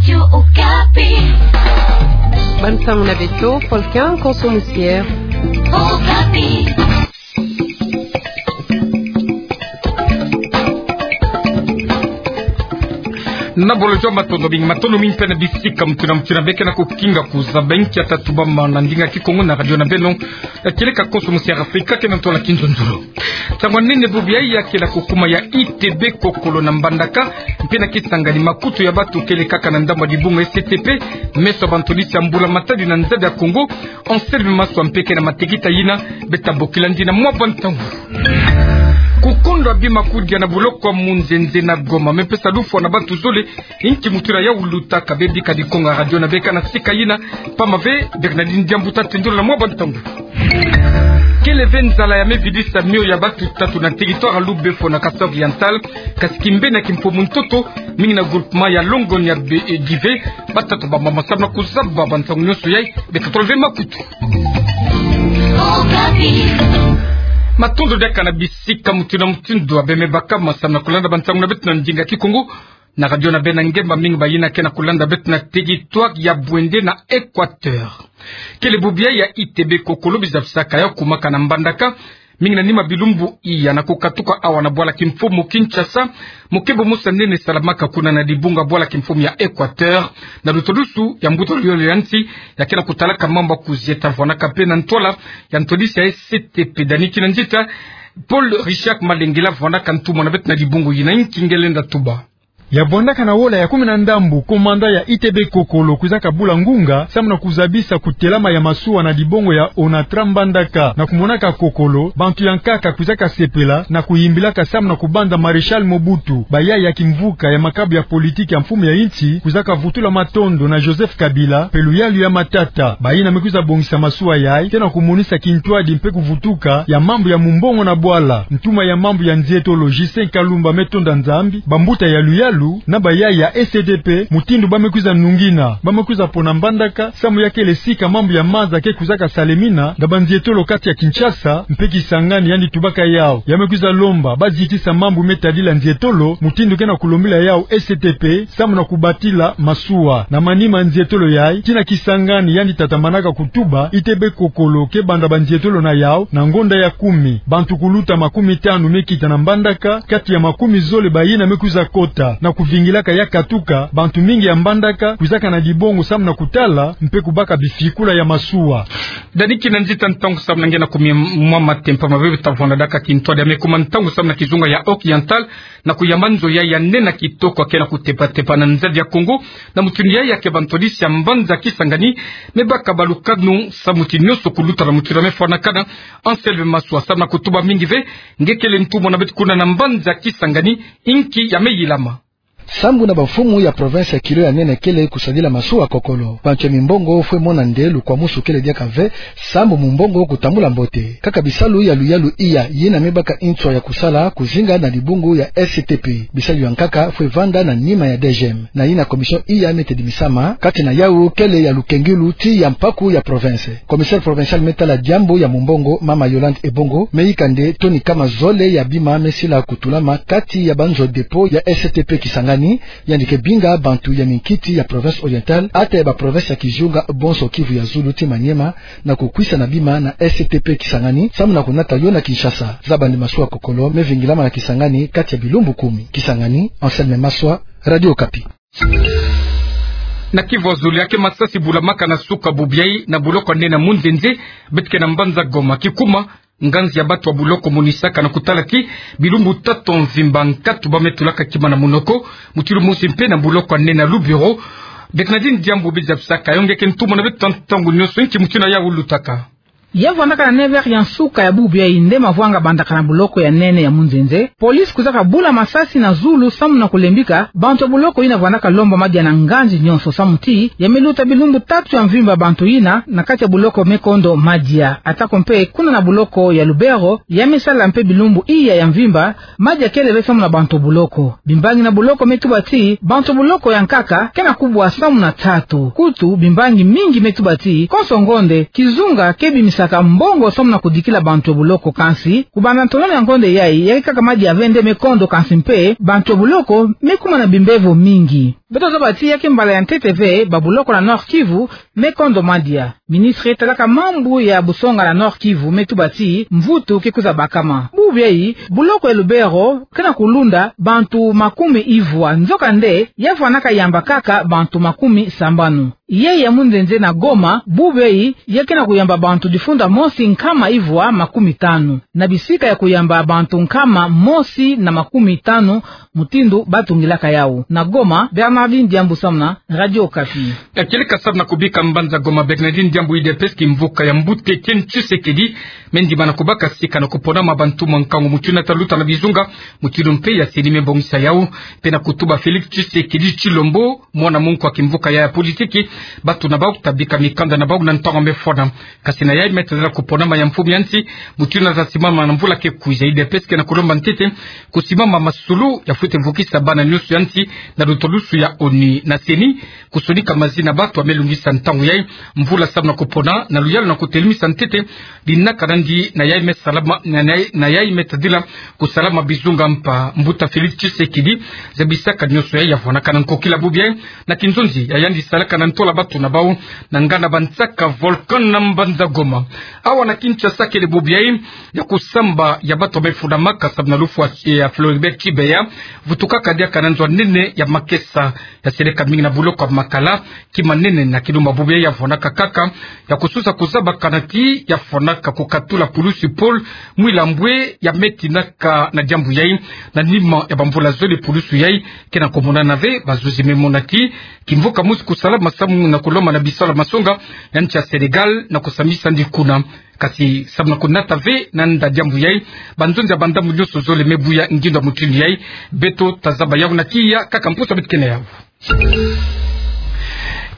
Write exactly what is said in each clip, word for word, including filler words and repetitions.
Radio Okapi. Bansango na beto, Paul Kian, Konso Musier. Okapi. Na bolo jamba, matondo mingi, matondo mingi mpe na bisika mutu na mutu na bê ke na kukinga kuzaba inki ya tatubama na ndinga Kikongo na radio na beno, ya kieleka Konso Musier Afrika, ke na ntwala kinzonzolo. Nsangu ya nene bubu yayi ya kele ya kukuma ya I T B Kokolo na Mbandaka, mpe na Kisangani makutu ya batu kele kaka na ndambu ya dibungu S T P, meso ya bantwadisi ya mbula matadi na nzadi ya Kongo, Anselme Maswa mpe ke na matekita yina, beta bokila ndi na mwa bantangu. Kukondo ya bima kudia na boloko ya Munzenze na Goma, me pesa lufwa na batu zole, inki mutu na yawu lutaka. Bebika dikonga radio na bê ka na sika yina, pamba ve, Bernardine Diambu ta tendula na mwa bantangu. Kele ve nzala ya me vidisa mio ya batu tatu na territoire ya Lubefo na Kasai Oriental, kasi kimbeni ya kimfumu ntoto, mingi na groupement ya Longonia be, eh, Dive, batatu bamama samu na kuzaba bantangu nyonso yayi, beta tola ve makutu. Matondo diaka na bisika mutu na mutu ndoa bê me bakama samu na kulanda bantangu na beto na ndinga Kikongo, na radio na bê na ngemba, mingi bayina ke na kulanda beto na territoire ya Bwende na Equateur. Kele bubu yayi ya I T B Kokolo bizabisaka ya kumaka na Mbandaka, mingi na nima bilumbu iya na kukatuka awa na bwala kimfumu Kinshasa, mokebo mosi ya nene salamaka kuna na dibungu ya bwala kimfumu ya Equateur, na lutulusu ya mbuta luyolo ya nsi, ya ke na kutalaka mambu ya kuzieta, vwandaka mpe na ntwala ya ntwadisi ya S T P. Dani Kinanzita, Paul Richard Malengela vwandaka ntumwa na beto na dibungu yina, inki nge lenda tuba. Ya vwandaka na wola ya kumi na ndambu, komanda ya I T B Kokolo kwizaka bula ngunga samu na kuzabisa kutelama ya masuwa na dibongo ya Onatra Mbandaka. Na kumonaka Kokolo, bantu ya nkaka kwizaka sepela na kuyimbilaka samu na kubanza Maréchal Mobutu. Bayayi ya kimvuka ya makabu ya politiki ya mfumu ya insi kwizaka vutula matondo na Joseph Kabila mpe luyalu ya Matata. Bayina me kwiza bongisa masuwa yayi ke na kumonisa kintwadi mpe kuvutuka ya mambu ya mumbongo na bwala. Ntuma ya mambu ya nzietolo Justin Kalumba me tonda Nzambi, bambuta ya luyalu na bayayi ya S T P, mutindu ba me kwiza nungina, ba me kwiza pona Mbandaka samu ya kele sika mambu ya maza ke kwizaka salemina na banzietolo kati ya Kinshasa mpe Kisangani, yandi tubaka yawu. Ya me kwiza lomba ba zitisa mambu me tadila nzietolo, mutindu ke na kulombila yawu S T P, samu na kubatila masuwa. Na manima nzietolo yayi, tii na Kisangani, yandi tatamanaka kutuba, I T B Kokolo ke banda banzietolo na yawu na ngonda ya kumi. Bantu kuluta makumi tanu me kita na Mbandaka, kati ya makumi zole bayina me kwiza kota. Na kuvingilaka ya katuka, bantu mingi ya Mbandaka kwizaka na dibongo samu na kutala mpe kubaka bifikula ya masuwa. Dani Kinanzita, ntangu samu na nge na kumi mwa matempa ma bebe ta vwanda diaka kintwadi ya me kuma ntangu samu na kizunga ya Oriental, na kuyamba nzo yayi ya nene kitoko ya ke na kutepa-tepa na nzadi ya Kongo, na mutinu yayi ya ke bantwadisi ya mbanza Kisangani me baka balukanu samu ti nyonso kuluta na mutinu ya me fwanakana. Anselme Maswa, samu na kutuba mingi ve, nge kele ntumwa na beto kuna na mbanza Kisangani, inki ya me yilama. Sambu na bamfumu ya province ya kilo ya nene kele kusadila masuwa Kokolo. Bantu ya mimbongo fwe mona nde lukwamusu kele diaka ve, sambu mumbongo kutambula mbote. Kaka bisalu ya luyalu iya yina me baka nswa ya kusala kuzinga na dibungu ya S T P. Bisalu ya nkaka fwe vanda na nima ya D G M. Na yina commission iya me tedimisama, kati na yawu kele ya lukengilu tii ya mpaku ya province. Commissaire provincial me tala diambu ya mumbongo, mama Yolande Ebongo, me yika nde toni kama zole ya bima me sila kutulama kati ya banzo dépôt ya S T P Kisangani, yandi ke binga bantu ya minkiti ya province orientale, ata ya baprovince ya kizunga bonso, Kivu ya Zulu tii Maniema, na kukwisa na bima na S T P Kisangani, samu na kunata yo na Kinshasa. Zabandi masuwa Kokolo me vingilama na Kisangani kati ya bilumbu kumi. Kisangani, Anselme Maswa, Radio Okapi. Na Kivu ya Zulu, ya ke masasi bulamaka na suka bubu yayi na boloko ya nene ya Munzenze, beto ke na mbanza Goma. Kikuma, nganzi ya batu ya boloko monisaka na kutala ti bilumbu tatu ya mvimba nkatu ba me tulaka kima na munoko, mutulu mosi mpe na boloko ya nene ya Lubero. Bernardine Diambu bizabisaka yo, nge ke ntumwa na beto ntangu nyonso, inki mutinu ya ulutaka. Ya vwandaka na neuf heures ya nsuka ya bubu yayi nde mavwanga bandaka na boloko ya nene ya Munzenze. Police kwizaka bula masasi na zulu samu na kulembika bantu ya boloko yina vwandaka lomba madia na nganzi nyonso samu ti ya me luta bilumbu tatu ya mvimba bantu yina na kati ya boloko me kondo madia. Atako mpe kuna na boloko ya Lubero, ya me sala mpe bilumbu iya ya mvimba, madia kele ve samu na bantu ya boloko. Bimbangi na boloko me tuba ti bantu ya boloko ya nkaka ke na kubwa samu na tatu. Kutu, bimbangi mingi me tuba ti konso ngonde, kizunga ke bimisaka mbongo samu na kudikila bantu ya boloko, kansi kubanda ntololo ya ngonde yayi, ya ke kaka madia ve nde me kondo, kansi mpe bantu ya boloko me kuma na bimbevo mingi. Beto zaba ti ya ke mbala ya ntete ve, babuloko na Nord-Kivu me kondomadia. Ministre talaka mambu ya busonga na Nord-Kivu me tuba ti mvutu ke kwiza bakama. Bubu yai, buloko ya Lubero ke na kulunda bantu makumi ivwa, nzokande ya vwanaka yamba kaka bantu makumi sambanu. Yai ya munzenze na Goma, bubu yai, ya ke na kuyamba bantu difunda mosi nkama ivwa makumi tanu, na bisika ya kuyamba bantu nkama mosi na makumi tanu, mutindu batungilaka yau. Na Goma, Bernardine Diambu samu na Radio Okapi. Kieleka samu na kubika mbanza Goma, Bernardine Diambu. U D P S, kimvuka ya mbuta Etienne Tshisekedi, me ndimana kubaka sika na kuponama bantu mwa nkangu mutindu na taluta na bizunga, mutindu mpe ya CENI me bongisa yau, mpe na kutuba Félix Tshisekedi Tshilombo, mwana mu nko wa kimvuka ya, ya politiki, bantu na bau ta bika mikanda na bau na ntangu me fwana. Kasi na yai me tadila kuponama ya mfumu ya nsi, mutindu na za simama na mvula ke kwiza, U D P S ke na kulomba ntete kusimama masulu ya fwete vukisa bana nyonso ya nsi na lutolusu ya ONU. Na CENI kusonika mazina bantu ya me lungisa ntangu yai mvula samu na kupona na luyalu na kutelemisa ntete dinaka nandi na yai me salama, na, na, na yai me tadila kusalama bizunga mpa. Mbuta Félix Tshisekedi zabisaka nyonso yai ya vwanaka na nkokila bubu yai na kinzonzi ya yandi salaka na ntola bantu na bau na nganda bansaka Volcan na mbanza Goma. Awa na Kinshasa kele bubu yai ya kusamba ya bantu ya me fundamaka samu na lufwa ya Floribert Chebeya vutukaka diaka na nzo ya nene ya makesa ya seleka mingi na buloko ya Makala, kima nene na kilumba bubu yai ya vwanaka kaka ya kususa kuzabakana ti ya fwanaka kukatula pulusi Paul Mwilambwe ya me tinaka na diambu yai. Na nima ya bamvula zole pulusu yai ke na kumonana ve, bazuzi me mona ti kimvuka mosi kusalama samu na kulomba na bisalu ya masonga ya nsi ya Sénégal na kusambisa ndi kuna. Kasi samu na kunata ve na nda diambu yai, banzonzi ya bandambu nyonso zole me buya ngindo ya mutindu yai. Beto ta zaba yau na kiya kaka mpusa beto ke na yau.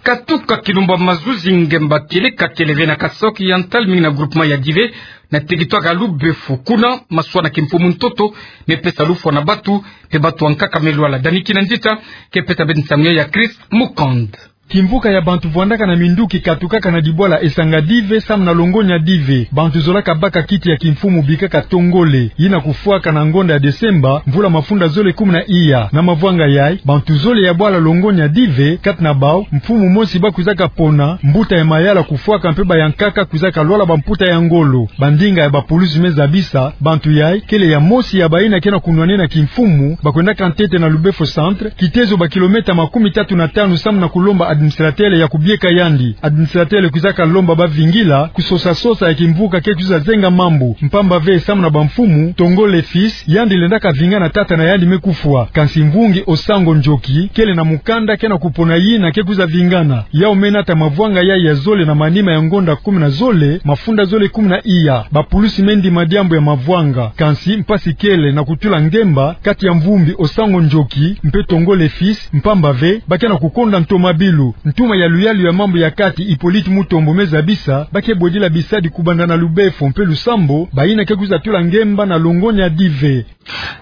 Katuka kilumba mazuzi ngemba kieleka kele ve na Kasaï Oriental, mingi na groupement ya Dive, na territoire ya Lubefo. Kuna maswa na kimfumu ntoto me pesa lufwa na bantu, mpe bantu ya nkaka me lwala. Dani Kinanzita ke pesa beto nsangu yai ya Chris Mukand. Kimvuka ya bantu vwandaka na minduki katukaka na dibwala esanga Dive samu na longonya Dive. Bantu zolaka baka kiti ya kimfumu bikaka Tongole, yina kufwaka na ngonda ya Desemba, mvula mafunda zole kumi na iya. Na mavwanga yai, bantu zole ya bwala longonya Dive, kati na bau mfumu mosi ba kwizaka pona, mbuta ya mayala kufwaka mpe bayankaka kwizaka lwala bamputa ya ngolo. Bandinga ya bapulusi me zabisa, bantu yai kele ya mosi ya bayina ke na kunwanena kimfumu, ba kwendaka ntete na Lubefo Centre, kitezo ba kilomètre makumi tatu na tanu samu na kulomba administrateur ya kubieka yandi. Administrateur kwizaka lomba bavingila, kusosa-sosa ya kimvuka ke kwiza zenga mambu. Mpamba ve samu na bamfumu, Tongole fils, yandi lendaka vinga na tata na yandi me kufwa. Kansi mvungi Osango Njoki, kele na mukanda ke na kupona yina ke kwiza vingana. Yau me nata mavwanga yai ya zole na manima ya ngonda kumi na zole, mafunda zole kumi na iya. Bapulusi me ndima diambu ya mavwanga. Kansi mpasi kele na kutula ngemba kati ya mvumbi Osango Njoki mpe Tongole fils, mpamba ve ba ke na kukonda ntomabilu. Ntuma ya luyalu ya mambu ya kati Hippolyte Mutombo me zabisa, ba ke bwedila bisadi kubanda na Lubefo mpe Lusambo, bayina ke kwiza tula ngemba na longonya Dive.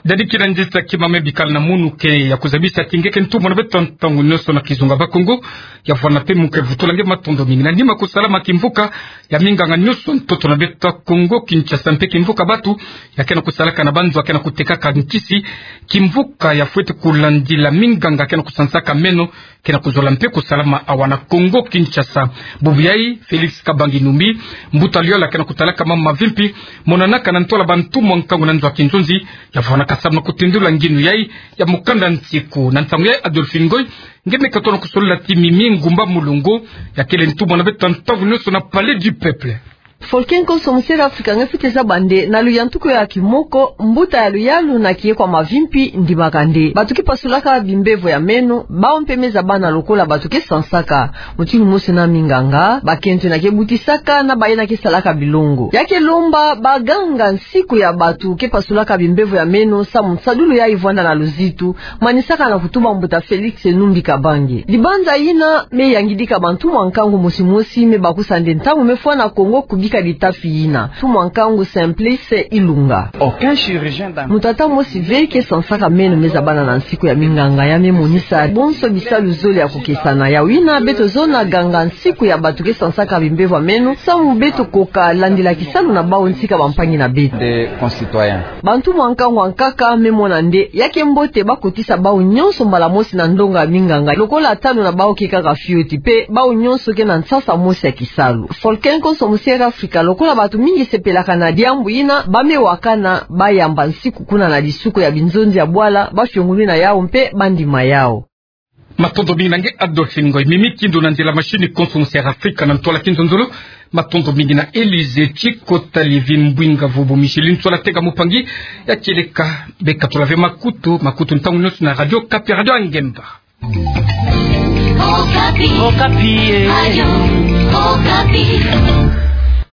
Dadi Kinanzita, kima me bikala na munu ke ya kuzabisa ti nge ke ntumwa na beto ntangu nyonso na kizunga Bakongo, ya vwanda mpe mu ke vutula nge matondo mingi. Na nima kusalama kimvuka ya minganga nyonso ntoto na beto Kongo Kinshasa mpe kimvuka bantu ya ke na kusalaka na banzo ya ke na kutekaka nkisi, kimvuka ya fwete kulandila minganga ke na kusansaka meno, ke na kuzola mpe kusalama awa na Kongo Kinshasa. Bubu yai, Félix Kabange Numbi, mbuta liola ke na kutalaka mambu mavimpi monanaka na ntola bantu mwa nkangu na nzo ya kinzonzi, ya vwanaka samu na kutindula nginu yai ya mukanda nsiku. Na ntangu yai, Adolphine Ngoy, nge me katono kusolila ti Mimi Ngumba Mulongo, ya kele ntumwa na beto ntangu nyonso na Palais du Peuple. Folke nkonso mu Sud-Afrika nge fwete zaba nde na luyantuku ya kimoko, mbuta ya luyalu na kieko ya mavimpi ndimaka nde bantu ke pasulaka bimbevo ya meno, bau mpe me zabana lokola bantu ke sansaka. Mutindu mosi na minganga, bakento yina ke butisaka na bayina ke salaka bilongo, ya ke lomba baganga nsiku ya bantu ke pasulaka bimbevo ya meno samu nsadulu yai vwanda na luzitu, manisaka na kutuba mbuta Félix Numbi Kabange. Libanza yina me yangidika bantu mwa nkangu mosi mosi, me bakusa nde ntangu me fwa na Kongo kubi Kadi tapi yina, mfumu a nkangu Simplice Ilunga. Aucun chirurgien dentaire. Moto ata mosi ve ke sansaka meno me zabana na nsiku ya minganga, ya me monisa bonso bisalu zole ya kokesana. Yawu yina beto zona ganga nsiku ya bato ke sansaka bimbevo ya meno, samu beto koka landila kisalu na bawu ntika bampangi na beto. Des concitoyens. Bantu mwa nkangu ankaka me mona nde ya ke mbote bakotisa bawu nyonso mbala mosi na ndonga ya minganga, lokola talo na bawu ke kaka fioti, mpe bawu nyonso ke na nsasa mosi ya kisalu. Folkenko Somusiere Afrika, lokola bato mingi sepelaka na diambu yina, ba me wakana bayamba nsiku kuna na lisuko ya binzonzi ya bwala, bafiongununa yawu mpe bandima yawu. Matondo mingi na nge Adolphe Ngoy. Mimi Kindu na nzila machine konso Musiere Afrika na ntwala kinzonzolo. Matondo mingi na Elise Tchikota Livin Mbwinga Vubu Micheline Tsola Tega Mupangi ya kieleka beka tula ve makutu, makutu ntangu nyonso na Radio Okapi, Radio ya ngemba. Okapi. Okapi, eh. Radio Okapi.